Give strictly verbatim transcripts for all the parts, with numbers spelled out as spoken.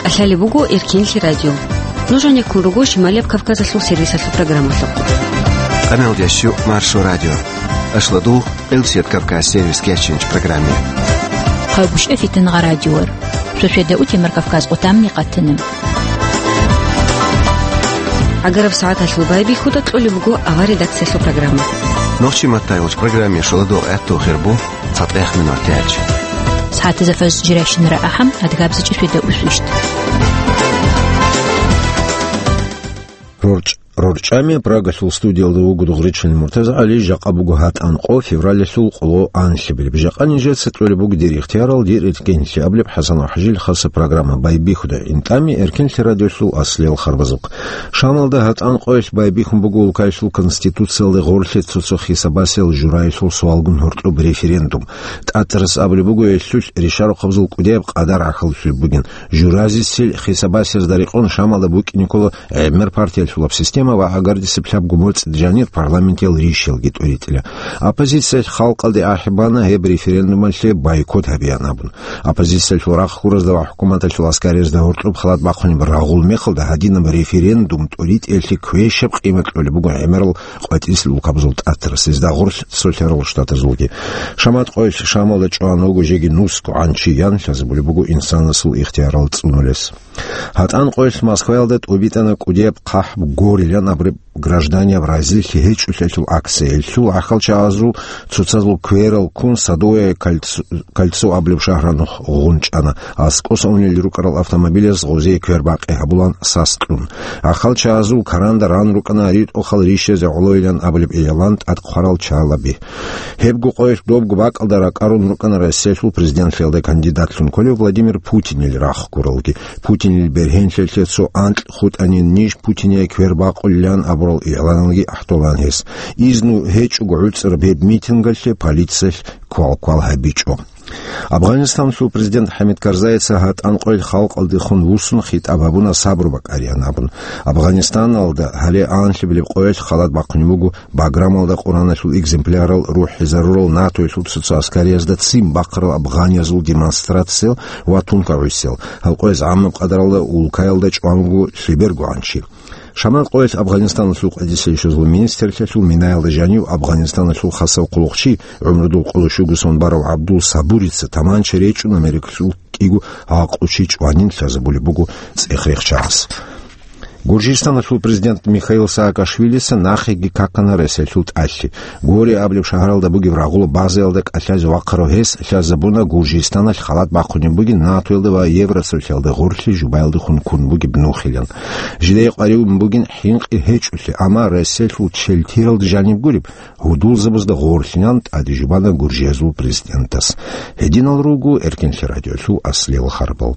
КӀалъалеб буго Эркенлъи радио. Нуж гьанеккун руго Шималияб Кавказалъул сервисалъул программалъухъ. Къаналдящу Маршо радио. Ашладул Элсет Кавказ сервис кечинч программе. Хъагушев Фитнагъа радиор. Шошеда утемар Кавказ къутамни къатана. Агараб сагӀаталъул байбихьуда кьолеб буго авар редакциялъул программа. Нохчи маттайгъуч программе шоладо гӀатту хирбу. ЦатӀехъ минуталъ. СагӀатазда фаз жирайщинара ахӀам, адгабзичӀи шведа усвищт. РорчӀ-, рорчӀами Прагалъул студиялда вуго Дугъричилин МуртазагӀали, жакъа буго гьатӀан къо, февралалъул къоло анлъабилеб. Жакъа нижеца кьолеб буго дир ихтиярал, дир эркенлъи абулеб ХӀасан ва ХӀажил хаса программа байбихьуда. ИнтӀами Эркенлъи радиолъул аслиял харбазухъ. Шамалда гьатӀан къоялъ байбихьун буго улкаялъул конституциялда гъорлъе цо-цо хисабасел жураялъул суалгун гьоркьоб референдум. ТӀатарас абулеб буго, гьелъулъ ришарухъабазул кӀудияб къадар гӀахьаллъулеб бугин. Журазисел хисабасезда рекъон Шамалда букӀине ккола гӀемер партиялъулаб система ва гӀагардисеб лъабго моцӀид жанир парламентиял ришаялги тӀуритӀила. Оппозициялъ халкъалде ахӀи бана гьеб референдумалъе бойкот гьабеян абун. Оппозициялъул рахъ гуразда ва хӀукуматалъул аскариязда гьоркьоб халат бахъунеб рагъул мехалда гьадинаб референдум тӀуритӀиялъе квешаб къимат кьолеб буго гӀемерал къватӀисел улкабазул тӀатарас, гьезда гъорлъ цолъарал штатазулги. Шамат къоялъ Шамалда чӀван вуго жеги нусго гӀанчи ян лъазабулеб буго инсанасул ихтиярал цӀунулес. ГьатӀан къоялъ Москваялда тӀубитӀана кӀудияб хъахӀб горилан абураб гражданияб разилъи гьечӀолъиялъул акция. Гьелъул гӀахьалчагӀазул цоцазул кверал ккун Садовое кольцо, кольцо абулеб шагьаралъухъ гъунчӀана. АскӀоса унел рукӀарал автомобилаз гъозие квербакъи гьабулан сас кьун. ГӀахьалчагӀазул каранда ран рукӀана ритӀухъал ришазе гӀолойилан абулеб игӀлан тӀад хъварал чагӀаби. Гьебго къоялъ добго бакӀалда ракӀарун рукӀана Россиялъул президентлъиялда кандидатлъун кколев Владимир Путинил рахъ гуралги. Путинил бергьенлъиялъе цо анкь хутӀанин ниж Путине квербакъулилан абурал игӀланалги ахӀдолан гьес. Изну гьечӀого гӀуцӀараб гьеб митингалъе полициялъ квал-квал гьабичӀо. Афганистаналъул президент ХӀамид Карзайица гьатӀан къоялъ халкъалдехун вуссун хитӀаб гьабуна сабру бакӀариян абун. Афганистаналда гьале анлъабилеб къоялъ халат бахъунеб буго Баграмалда Къураналъул экземплярал рухӀизарурал НАТОялъул цоцазул аскариязда ццин бахъарал афганиязул демонстрациял ва тункагӀусиял. Гьал къояз гӀамаб къадаралда улкаялда чӀван вуго лъеберго гӀанчи. Шамат къоялъ Афганистаналъул къватӀисел ишазул министрлъиялъул минаялда жанив Афганистаналъул хасав хъулухъчи, гӀумрудул къоло щуго сон барав ГӀабдул Сабурица таманча речӀун Америкалъул кӀиго гӀакълу чи чӀванин лъазабулеб буго цӀех-рехчагӀаз. Гуржистаналъул президент Михаил Саакашвилица нахъеги какана Россиялъул тӀалъи. Гори абулеб шагьаралда бугеб рагъула базаялда кӀалъазе вахъарав гьес лъазабуна Гуржистаналъ халат бахъунеб бугин НАТОялда ва Евросоюзалда гъорлъе жубаялдехун ккун бугеб нухилан. Жидее къваригӀун бугин хӀинкъи гьечӀолъи, амма Россиялъул челтиралда жаниб гуреб, гьудулзабазда гъорлъинан тӀаде жубана гуржиязул президентас. Гьединал руго Эркенлъи радиолъул аслиял харбал.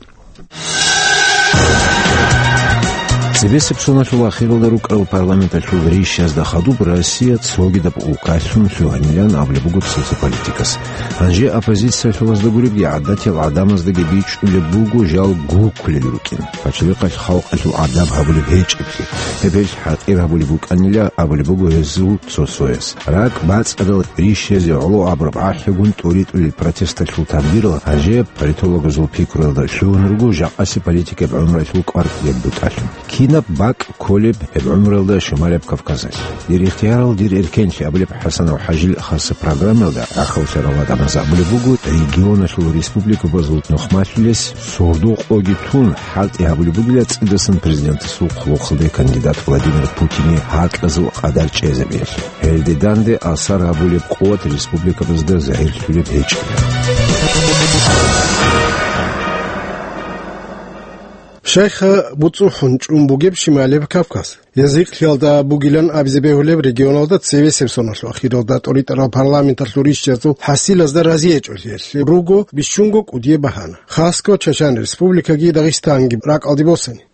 Цебесеб соналъул ахиралда рукӀарал парламенталъул ришазда хадуб Россия цогидаб улкалъун лъугьанилан абулеб буго цоцазул политикас. Гьанже оппозициялъулазда гуребги гӀадатиял гӀадамаздаги бичӀчӀулеб буго жал гуккулел рукӀин, пачалихъалъ халкъалъул гӀадаб гьабулеб гьечӀеблъи. Гьеб гьелъ хӀатӀир гьабулеб букӀанила абулеб буго гьезул цо-цояс. РакӀ бацӀцӀадал ришазе гӀоло абураб гӀахӀлъигун тӀуритӀулел протесталъул тагбирал гьанже политологазул пикруялда лъугьун руго жакъасеб политикаб гӀумруялъул кӀвар кьураб бутӀалъун. Кинаб бакӀ кколеб гьеб гӀумруялда Шималияб Кавказалъ? Дир ихтиярал, дир эркенлъи абулеб ХӀасанов ХӀажил хаса программаялда рахъалъарал гӀадамаз абулеб буго, регионалъул республикабазул нухмалъулес сордо-къоги тун, хӀалтӀи гьабулеб бугила цӀидасан президентасул хъулухъалде кандидат Владимир Путине гьаркьазул къадар чӀезабиялъе. Гьелде данде асар гьабулеб къуват республикабазда загьирлъулеб гьечӀила. Щайха буцӀухӀун чӀун бугеб Шималияб Кавказ? Язихълъиялда бугилан абизе бегьулеб регионалда цебесеб соналъул ахиралда тӀоритӀарал парламенталъул ришчазул хӀасилазда разиячӀолъиялъе руго бищунго кӀудияб багьана. Хасго Чачан Республикаги Дагъистанги ракӀалде босани.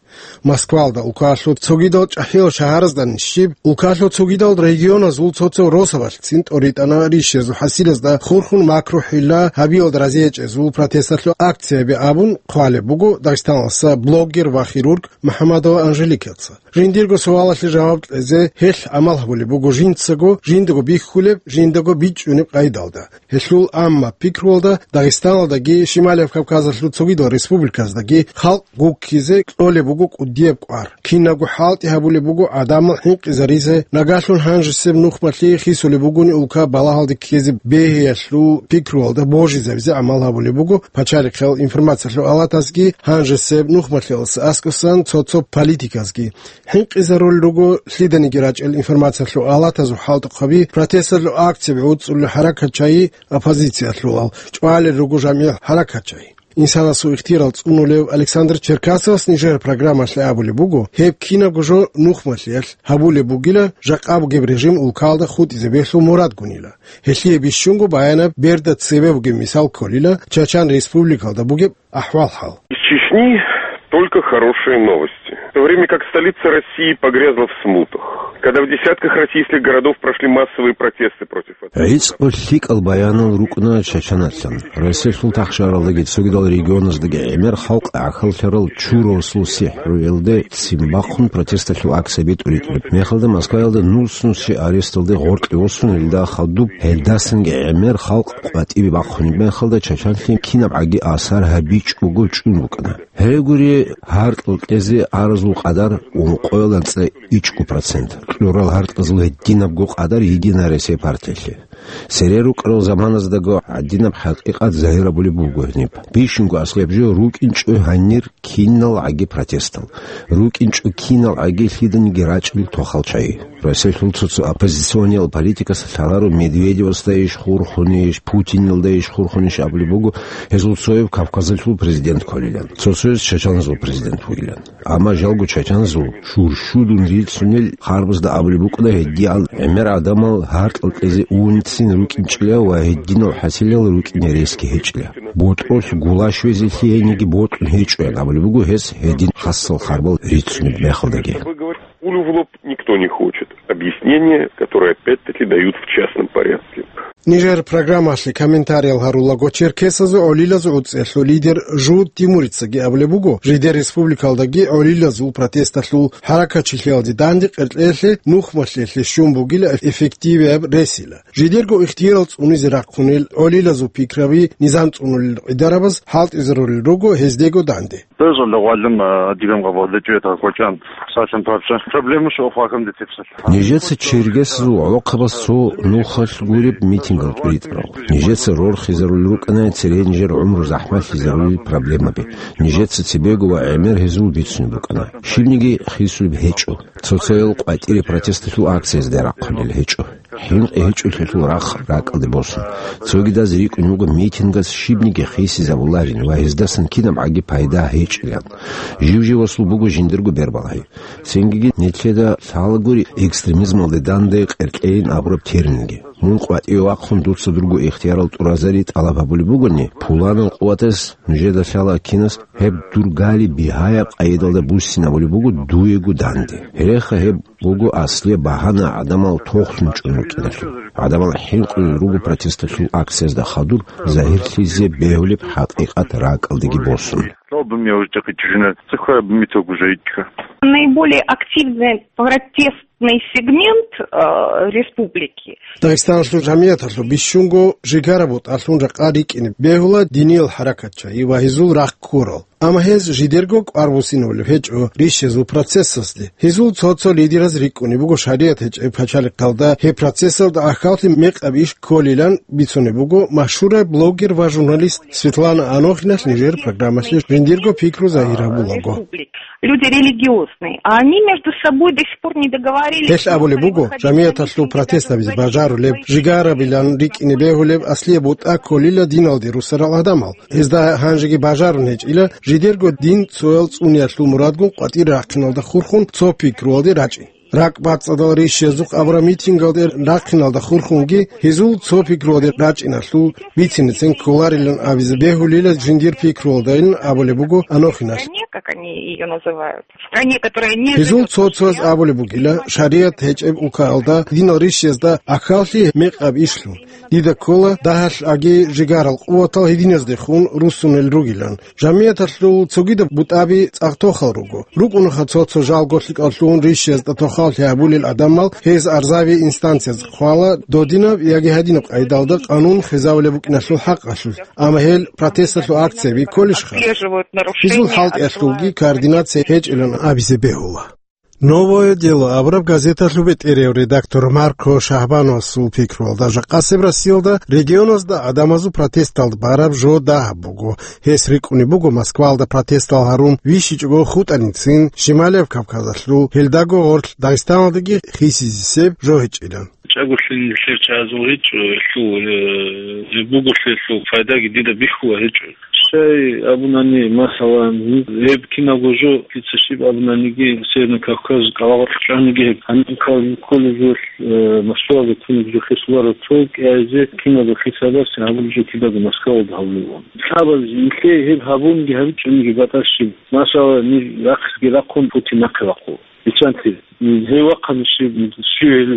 Москвалда улкалъул цогидал чӀахӀиял шагьаразда нищиб, улкалъул цогидал регионазул цо-цо росабалъцин тӀоритӀана ришезул хӀасилазда хурхун макрухӀилла гьабиялда разиячӀезул протесталъул акцияби абун хъвалеб буго Дагъистаналъа блогер ва хирург МухӀаммадова Анжеликаца. Жиндирго суалалъе жаваб кьезе гьелъ гӀамал гьабулеб буго жинцаго жиндаго бихьулеб, жиндаго бичӀчӀунеб къайдалда. Гьелъул амма пикруялда Дагъистаналдаги Шималияб Кавказалъул цогидал республиказдаги халкъ гуккизе кьолеб буго кӀудияб кӀвар. Кинабго хӀалтӀи гьабулеб буго гӀадамал хӀинкъизаризе, нагагьлъун гьанжесеб нухмалъи хисулеб бугони улка балагьалде ккезе бегьиялъул пикруялда божизабизе гӀамал гьабулеб буго пачалихъал информациялъул алатазги гьанжесеб нухмалъиялъ аскӀосан цо-цо политиказги. ХӀинкъизарулел руго лъиданиги рачӀел информациялъул алатазул хӀалтӀухъаби, протесталъул акцияби гӀуцӀулел хӀаракатчагьи, оппозициялъулал чӀвалел руго жамигӀ хӀаракатчагьи. Инсанасул ихтиярал цӀунулев Александр Черкасовас нижер программалъе абулеб буго, гьеб кинабго жо нухмалъиялъ гьабулеб бугила, жакъа бугеб режим улкалда хутӀизе бегьлъул мурадгунила. Гьелъие бищунго баянаб берда цебе бугеб мисал кколила Чачан республикалда бугеб ахӀвал-хӀал. Из Чечни только хорошие новости. В то время как столица России погрязла в смутах, когда в десятках российских городов прошли массовые протесты против этого. ГӀицӀго лъикӀал баянал рукӀуна Чачаналъан. Россиялъул тахшаралдаги цогидал регионаздаги гӀемер халкъ гӀахьаллъарал чурасул сихӀруялде ццин бахъун протесталъул акция битӀулеб мехалда Москваялда нус-нусчи аресталде гъоркье восун, илда хадуб гьелдасанги гӀемер халкъ къватӀибе бахъунеб мехалда Чачанлъи кинабгӀаги асар гьабичӀого чӀун букӀана. Гьегури гьаркьал кьезе аразул къадар ункъоялда цӀе ичӀго процент, кьурал гьаркьазул гьединабго къадар Единая Россия партиялъе. Цере рукӀарал заманаздаго гьадинаб хӀакъикъат загьир гьабулеб буго гьениб. Бищунго аслияб жо рукӀинчӀо гьанир киналгӀаги протестал, рукӀинчӀо киналгӀаги лъиданиги рачӀил тохал чагӀи. Россиялъул цо-цо оппозициониял политикас лъаларо Медведевасда иш хурхунищ, Путинилда иш хурхунищ абулеб буго, гьезул цояв Кавказалъул президент кколилан, цо-цояз чачаназул президент вугилан. Амма жалго чачаназул шуршудун рицунел харбазда абулеб букӀана гьедигӀан гӀемер гӀадамал гьаркьал кьезе унцин рукӀинчӀила ва гьединал хӀасилал рукӀине ресги гьечӀила. БутӀрулъ гулаш везе лъигьениги бокьун гьечӀоян абулеб буго гьес гьедин хасал харбал рицунеб мехалдаги. Пулю в лоб никто не хочет. Объяснения, которые опять-таки дают в частном порядке. Нижер программалъе комментариял гьарулаго черкесазул гӀолилазул гӀуцӀиялъул лидер Жуд Тимурицаги абулеб буго, жидер республикалдаги гӀолилазул протесталъул хӀаракатчилъиялде данде къеркьеялъе нухмалъиялъе щун бугила эффективияб ресила. Жидерго ихтиярал цӀунизе рахъунел гӀолилазул пикраби низам цӀунулел гӀидарабаз хӀалтӀизарулел руго гьездего данде. Бежалда гъвалин, а, диган гъабалда чуета кочан, сашан папша. Проблема шо факам де тепсал. Нижеца чергесазул гӀолохъабаз цо нухалъ гуреб митингал тӀуритӀарал. Нижеца рорхизарулел рукӀана цере нижер гӀумру захӀмалъизарулел проблемаби. Нижеца цебего ва гӀемер гьезул бицунеб букӀана. Щибниги хисулеб гьечӀо. Цоцайал къватӀире протесталъул акциязде рахъунел гьечӀо. ХӀинкъи гьечӀолъулъул рахъ ракӀалде босун. Цогидаз рикӀкӀун буго митингас щибниги хисизабуларин ва гьездасан кинабгӀаги пайда гьечӀилан. Жив-живасул буго жиндирго бербалагьи. Цинги нилъеда лъалагури экстремизмалде данде къеркьейин абураб терминги. Мун къватӀиве вахъун дуца дурго ихтиярал тӀуразари тӀалаб гьабулеб бугони, пуланал къуватас нужеда лъала кинас гьеб дур гали бигьаяб къайдалда буссинабулеб буго дуего данде. Гьереха гьеб буго аслияб багьана гӀадамал тохлъун чӀун рукӀиналъул. ГӀадамал хӀинкъулел руго протесталъул акциязда хадур загьирлъизе бегьулеб хӀакъикъат ракӀалдеги босун. Лъаб бумиявждихъи чужина, цихъа бумитогужайчка. Наиболее активный протестный сегмент, э, республики. Дагъистаналъул жамияталъул бищунго жигара бутӀалъун ракъа рикӀкӀине бегьула диниял хӀаракатчагьи ва гьезул рахъ ккурал. Амма гьез жидерго кӀвар буссинабулеб гьечӀо ришезул процессазде. Гьезул цо-цо лидераз рикӀкӀунеб буго шаригӀат гьечӀеб пачалихъалда гьеб процессалда ахьаллъи мекъаб иш кколилан бицунеб буго машгьураб блогер ва журналист Светлана Анохиналъ нижер программалъе жиндирго пикру загьир гьабулаго. Люди религиозные, а они между собой до сих пор не договорились. Гьелъ абулеб буго, жамияталъул протест гьабизе бажарулеб, жигарабилан рикӀкӀине бегьулеб аслияб бутӀа кколила диналде русарал гӀадамал. Гьезда гьанжеги бажарун гьечӀила жидерго дин цоял цӀуниялъул мурадгун къватӀир рахъиналда хурхун цо пикруялде рачӀин. РакӀбацӀцӀадал рищиязухъ абураб митингалде рахъиналда хурхунги гьезул цо пикруялде рачӀиналъул бицинецин кколарилан абизе бегьулила жиндир пикруялдайилан абулеб буго Анохиналъ. Стране, как они её называют, стране, которая не Гьезул живёт цо-цояз абулеб бугила, шариат гьечӀеб улкаялда динал рищиязда ахьаллъи мекъаб ишлъун. Дида ккола дагьалъ аги жигарал къуватал гьединаздехун руссунел ругилан. Жамияталъул цогидаб бутӀаби цӀакъ тохал руго. РукӀунаха цо-цо жалго лъикӀаллъун рищиязда тохаллъи гьабулел гӀадамал гьез арзаби инстанциязда хъвала додинаб яги гьадинаб къайдалда къанун хвезавулеб букӀиналъул хӀакъалъулъ. Амма гьел протесталъул акцияби кколищха? Отслеживают нарушения Гьезул хӀалтӀиялъулги основной координация гьечӀилан абизе бегьула. «Новое дело» абураб газеталъул бетӀерев редактор Марко Шагьбановасул пикруялда, жакъасеб Россиялда регионазда гӀадамазул протесталда бараб жо дагьаб буго. Гьес рикӀкӀунеб буго Москваялда протестал гьарун вищичӀого хутӀаницин Шималияб Кавказалъул, гьелдаго гъорлъ Дагъистаналдаги хисизесеб жо гьечӀилан. ЧӀаголъи нилъер чагӀазул гьечӀо, гьелъул, э, буголъи гьелъул пайдаги дида бихьула гьечӀо. Щай абунани, масалан, гьеб киналго жо, дица щиб абунаниги, Северный Кавказ кӀалагъоркь чӀваниги гьеб, гьаниб кколеб жо, э, Москваялда туниб жо хисуларо цо кӀиазе, киналго хисабасе гьабулеб жо кидаго Москваялда гьабулеб. Лъабаз нилъее гьеб гьабунги гьабичӀониги батӀа щиб. Масала, ниж рахъги рахъун Путин нахъе вахъула. Биччанти, гьев вахъани щив, щив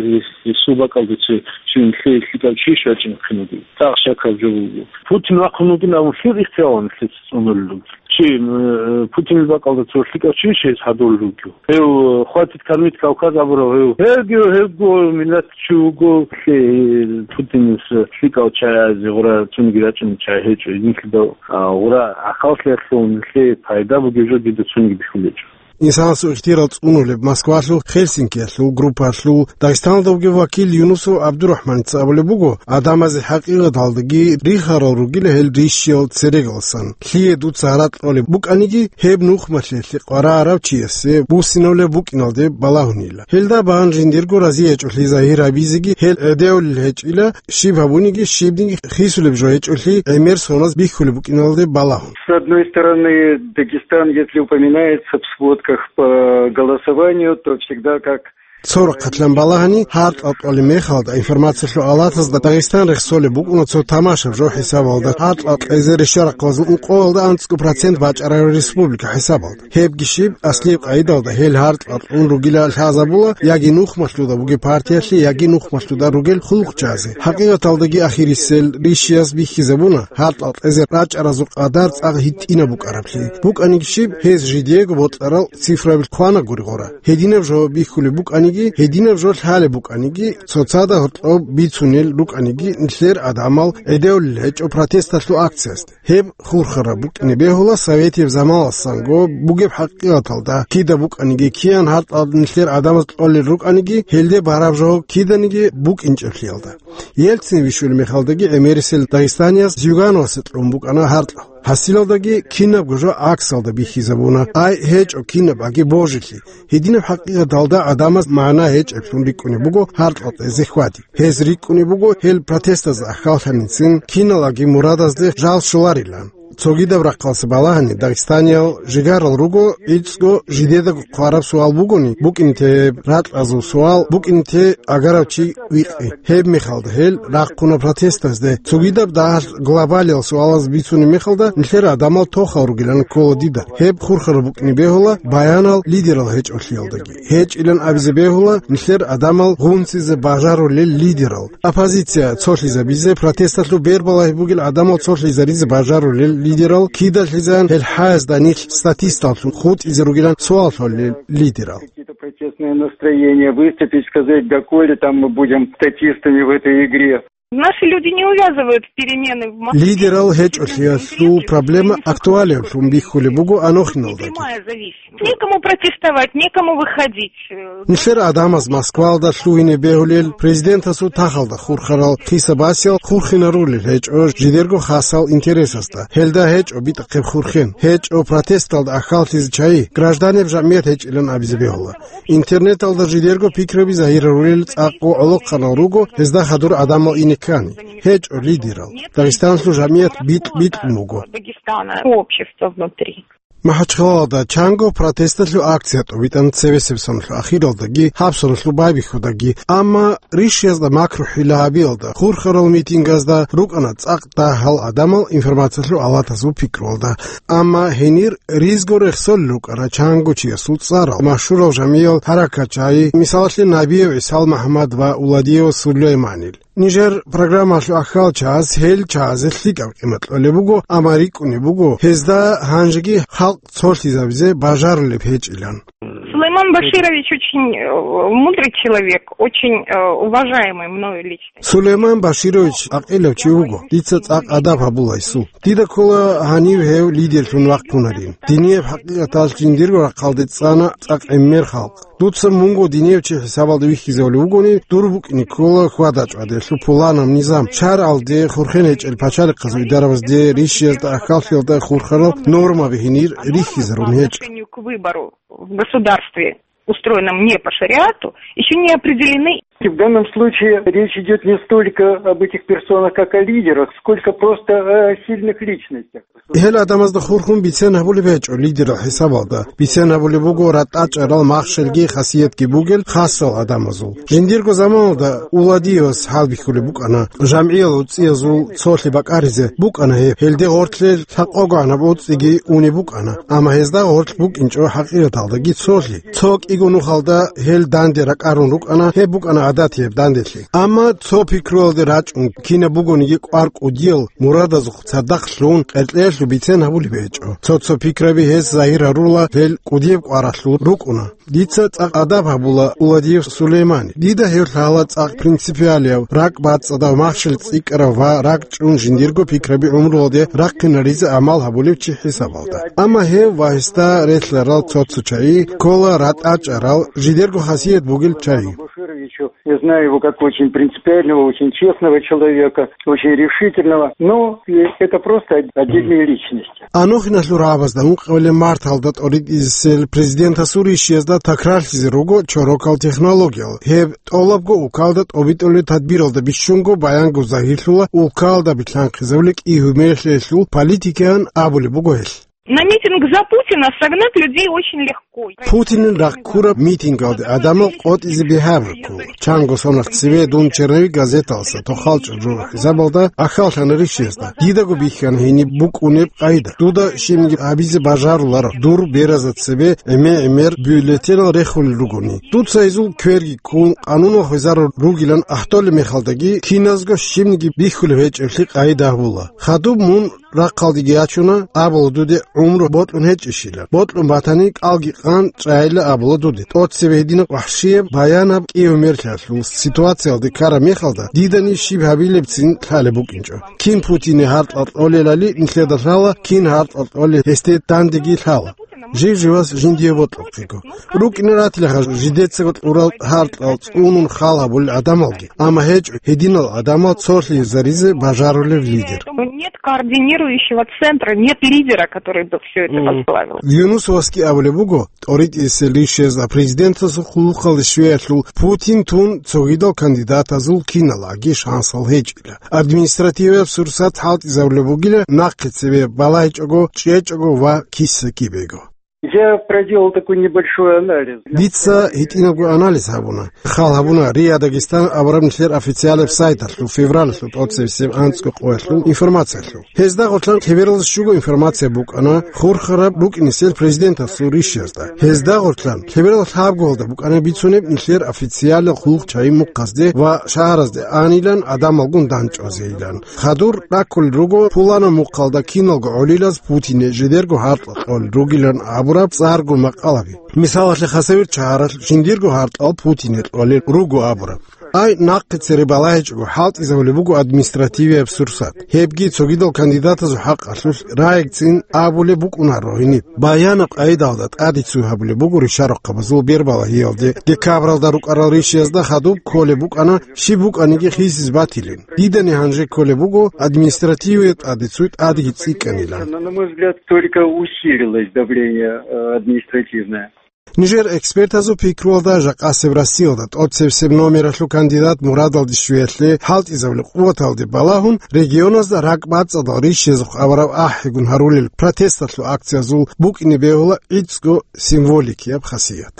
гьесул бакӀалда цо, щив нилъее лъикӀав чи щвечӀин хъинуги, цӀакъ щакаб жо буго. Путин вахъун вугин абун лъил ихтияр нилъеца цӀунулел ругел? Чи, м, Путинил бакӀалда цо лъикӀав чи щес гьадулел ругев? Гьев, э, «Хватит кормить Кавказ» абурав гьев. Гьевги, гьевго миллат чи вуго, лъе-, Путинис лъикӀав чагӀазе гъура цониги рачӀунел чагӀи гьечӀо, гьединлъидал, а, гъура ахӀаллъиялъул нилъее пайда бугеб жо дида цониги бихьулечӀо. Инсанасул ихтияр цӀунулеб Москвалъул Хельсинкиялъул группаялъул Дагъистаналда вугев вакил Юнусов ГӀабдурахӀманица абулеб буго, гӀадамазе хӀакъикъаталдаги рихарал ругила гьел рищиял церегалсан. Лъие дуца гьаракь кьолеб букӀаниги, гьеб нухмалъиялъе къваригӀарав чиясе буссинавулеб букӀиналде балагьунила. Гьелда бан жиндирго разиячӀолъи загьир гьабизеги гьел гӀедеулел гьечӀила, щиб гьабуниги, щибниги хисулеб жо гьечӀолъи гӀемер соназ бихьулеб букӀиналде балагьун. С одной стороны, Дагестан, если упоминается в сводках по голосованию, то всегда как Цо рахъалъан балагьани, гьаркьал кьолеб мехалда информациялъул алатазда Дагъистан рехсолеб букӀуна цо тамашаб жо хӀисабалда, гьаркьал кьезе рещарахъалазул ункъоялда анцӀго процент бачӀараб республика хӀисабалда. Гьебги щиб, аслияб къайдалда гьел гьаркьал кьун ругила лъазабула яги нухмалъуда бугеб партиялъе, яги нухмалъуда ругел хъулухъчазе. ХӀакъикъаталдаги ахирисел рищияс бихьизабуна гьаркьал кьезе рачӀаразул къадар цӀакъ гьитӀинаб букӀараблъи. БукӀаниги щиб, гьез жидеего бокьарал цифраби квана гури гъора. Гьединаб жо бихьулеб букӀаниги, гьединаб жо лъалеб букӀаниги, цоцазда гьоркьоб бицунел рукӀаниги, нилъер гӀадамал гӀедеулел гьечӀо протесталъул акциясде. Гьеб хурхараб букӀине бегьула советияб заманалдасанго бугеб хӀакъикъаталда, кида букӀаниги, киян гьаркьал нилъер гӀадамаз кьолел рукӀаниги, гьелде бараб жо киданиги букӀинчӀеблъиялда. Ельцин вищулеб мехалдаги гӀемерисел дагъистанияс Зюгановасе кьун букӀана гьаркьал. Гьасилалдаги кинабго жо гӀаксалда бихьизабуна, ай гьечӀо кинаб аги божилъи. Гьединаб хӀакъикъаталда гӀадамаз магӀна гьечӀеблъун рикӀкӀунеб буго гьаркьал кьезе хьвади. Гьез рикӀкӀунеб буго гьел протестазда ахьаллъаницин киналаги мурадазде жал щоларилан. Цогидаб рахъалъа балагьани дагъистаниял жигарал руго, гӀицӀго жидедаго хъвараб суал бугони, букӀине те гьеб ракьазул суал, букӀине те агарав чи викъи. Гьеб мехалда гьел рахъуна протестазде. Цогидаб дагьалъ глобалиял суалаз бицунеб мехалда нилъер гӀадамал тохал ругилан ккола дида. Гьеб хурхараб букӀине бегьула баянал лидерал гьечӀолъиялдаги. ГьечӀилан абизе бегьула нилъер гӀадамал гъунцизе бажарулел лидерал. Оппозиция цолъизабизе, протесталъул бербалагьи бугел гӀадамал цолъизаризе бажарулел лидерал кидалъизан гьел хӀаясда нилъ статисталлъун хутӀизе ругилан суал лъолел лидерал. Какие-то протестные настроения выступить, сказать, доколе там мы будем статистами в этой игре. Наши люди не увязывают перемены в Москве. Лидерал гьечӀолъиялъул проблема актуалиблъун бихьулеб буго Анохиналдаги. Прямая зависимость. Некому протестовать, некому выходить. Нилъер гӀадамаз Москвалда лъугьине бегьулел президентасул тахалда хурхарал хисабасел хурхинарулел гьечӀо жидерго хасал интересасда. Гьелда гьечӀо битӀахъеб хурхен. ГьечӀо протесталда ахьаллъизе чагӀи, гражданеб жамгӀият гьечӀилан абизе бегьула. Интернеталда жидерго пикраби загьирарулел цӀакъго гӀолохъанал руго, гьезда хадур гӀадамал ине ккани. ГьечӀо лидерал. Дагъистаналъул жамгӀият битӀ-битӀун буго. Дагестана, общество внутри. МахӀачхъалалда чанго протесталъул акция тӀобитӀана цебесеб соналъул ахиралдаги, гьаб соналъул байбихьудаги, амма ришиязда макру-хӀила гьабиялда, хурхарал митингазда рукӀана цӀакъ дагьал гӀадамал информациялъул алатазул пикруялда. Амма гьенир ризго рехсолел рукӀана чанго чиясул цӀарал, машгьурал жамгӀиял, гьаракатчагӀи, мисалалъе, Набиев ГӀисал МахӀмад ва Уладиев Сулейманил. Нижер программалъул ахьал чагӀаз гьел чагӀазе лъикӀаб къимат кьолеб буго, амма рикӀкӀунеб буго, гьезда гьанжеги халкъ цолъизабизе бажарулеб гьечӀилан. Сулейман Баширович очень, э, мудрый человек, очень, э, уважаемый мною лично. Сулейман Баширович гӀакъилав чи вуго, дица цӀакъ адаб гьабула гьесул. Дида ккола гьанив гьев лидерлъун вахъунарин. Динияб хӀакъикъаталъ жиндирго рахъалде цӀана цӀакъ гӀемер халкъ. Дуца мунго динияв чи хӀисабалда вихьизавулев вугони, дур букӀине ккола хьвада-чӀвадиялъул пуланаб низам, шаргӀалде, хурхен гьечӀел пачалихъазул идарабазде, ришиязда, ахьаллъиялда хурхарал нормаби гьенир рихьизарун гьечӀо. По отношению к выбору в государстве, устроенном не по шариату, еще не определены. В данном случае речь идет не столько об этих персонах, как о лидерах, сколько просто о сильных личностях. Гьел гӀадамазда хурхун бицен гьабулеб гьечӀо лидерал хӀисабалда. Бицен гьабулеб буго ратӀачӀарал, махщелги хасиятги бугел хасал гӀадамазул. Жиндирго заманалда Уладиевас хӀалбихьулеб букӀана, жамгӀиял уцӀцӀиязул цолъи бакӀаризе букӀана гьеб. Гьелде гъорлъе лъакъогогӀанаб уцӀцӀиги унеб букӀана, амма гьезда гъорлъ букӀинчӀо хӀакъикъаталдаги цолъи. Цо кӀиго нухалда гьел данде ракӀарун рукӀана, гьеб букӀана гӀадатияб данделъи. Амма цо пикруялде рачӀун, кинаб бугониги кӀвар кӀудиял мурадазухъ цадахъ лъун, къеркьеялъул бицен гьабулеб гьечӀо. Цо-цо пикраби гьес загьир гьарула, гьел кӀудияб кӀваралъул рукӀуна. Дица цӀакъ адаб гьабула Уладиев Сулеймани. Дида гьев лъала цӀакъ принципиалияв, ракӀ бацӀцӀадав, махщел цӀикӀкӀарав ва ракӀ чӀун жиндирго пикраби гӀумруялде рахъинаризе гӀамал гьабулев чи хӀисабалда. Амма гьев ва гьесда релълъарал цо-цо чагӀи ккола ратӀачӀарал, жидерго хасият бугел чагӀи. Башировичу, я знаю его как очень принципиального, очень честного человека, очень решительного, но и это просто отдельные личности. Анохиналъул рагӀабазда ункъабилеб марталда тӀоритӀисел президентасул ришиязда такрарлъизе руго чорокал технологиял. Гьеб тӀолабго улкалда тӀобитӀулеб тадбиралда бищунго баянго загьирлъула улкалда билълъанхъизабулеб кӀи-гьумерлъиялъул политикаян абулеб буго гьелъ. На митинг за Путина согнать людей очень легко. Путинил рахъ ккураб митингалде гӀадамал къотӀизе бигьаб ккола. Чанго соналъ цеве дун «Черновик» газеталъа тохал чӀужу хӀисабалда ахьаллъана ришиязда. Дидаго бихьана гьениб букӀунеб къайда. Дуда щибниги гьабизе бажаруларо, дур беразда цебе гӀемер-гӀемер бюллетенал рехулел ругони. Дуца гьезул кверги ккун, къанунал хвезарун ругилан ахӀдолеб мехалдаги, киназго щибниги бихьулеб гьечӀеблъи къайда гьабула. Хадуб мун рахъалдеги ячуна, абула дуде гӀумру бокьун гьечӀищила. Бокьун батани, кӀалги къан чӀайила абула дуде. ТӀоцебе гьединаб вахӀшияб баянаб кӀи-гьумерлъиялъул ситуациялде ккараб мехалда, дидани щиб гьабилебцин лъалеб букӀинчӀо. Кин Путине гьаркьал кьолелали нилъеда лъала, кин гьаркьал кьолел гьесде дандеги лъала. Жив-живас жиндие бокьухъего. РукӀине ратилаха жидецаго кьурал гьаркьал цӀунун хал гьабулел гӀадамалги, амма гьечӀо гьединал гӀадамал цолъизаризе бажарулев лидер. Нет координирующего центра, нет лидера, который бы все это возглавил. Юнус Васки абулеб буго, тӀоритӀисел ришиязда президентасул хъулухъалде щвеялъул Путин тун цогидал кандидатазул киналаги шансал гьечӀила. Административияб сурсат хӀалтӀизабулеб бугила нахъе цебе балагьичӀого, чӀечӀого ва киса-кибего. Я проделал такой небольшой анализ. Дица гьитӀинабго анализ гьабуна. Хал гьабуна РИА Дагестан абураб нилъер официалаб сайталъул февралалъул тӀоцебесеб анцӀго къоялъул информациялъул. Гьезда гъорлъан лъебералда щуго информация букӀана хурхараб рукӀинисел президентасул ришиязда. Гьезда гъорлъан лъеберал лъабгоялда букӀана бицунеб нилъер официалаб хъулухъчагӀи мухъазде ва шагьаразде анилан гӀадамалгун дандчӀвазейилан. Хадур раккулел руго пуланаб мухъалда киналго гӀолилаз Путине жидерго гьаркьал кьолел ругилан абураб цӀарго макъалаби. Мисалалъе, Хасавюрт шагьаралъ жиндирго гьаркьал Путине кьолел руго абураб. Ай, нахъе цере балагьичӀого хӀалтӀизабулеб буго административияб сурсат. Гьебги цогидал кандидатазул хӀакъалъулъ рагӀицӀцӀин абулеб букӀунаро гьениб. Баянаб къайдалда тӀаде цуй гьабулеб буго ришарухъабазул бербалагьиялде, декабралда рукӀарал ришиязда хадуб кколеб букӀана, щиб букӀаниги хисизе батилин. Дидани гьанже кколеб буго административияб тӀаде цуй тӀадеги цӀикӀкӀанилан. Но, на мой взгляд, только усилилось давление, э, административное. Нижер экспертазул пикруялда, жакъасеб Россиялда тӀоцебсеб номералъул кандидат мурадалде щвеялъе хӀалтӀизабулеб къуваталде балагьун, регионазда ракӀбацӀцӀадал рищезухъ авараб ахӀигун гьарулел протесталъул акциязул букӀине бегьула гӀицӀго символикияб хасият.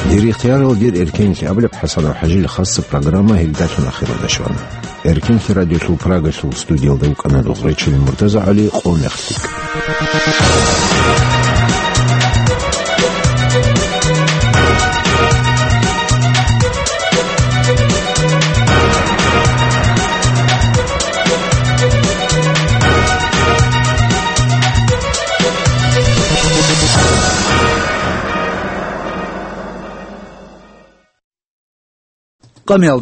Дир ихтиярал, дир эркенлъи абулеб ХӀасанов ХӀажил хасса программа гьелдалъун ахиралда щвана. Эркенлъи радиолъул Прагалъул студиялда вукӀана нугъречил МуртазагӀали, къо мехлъи. Къамиял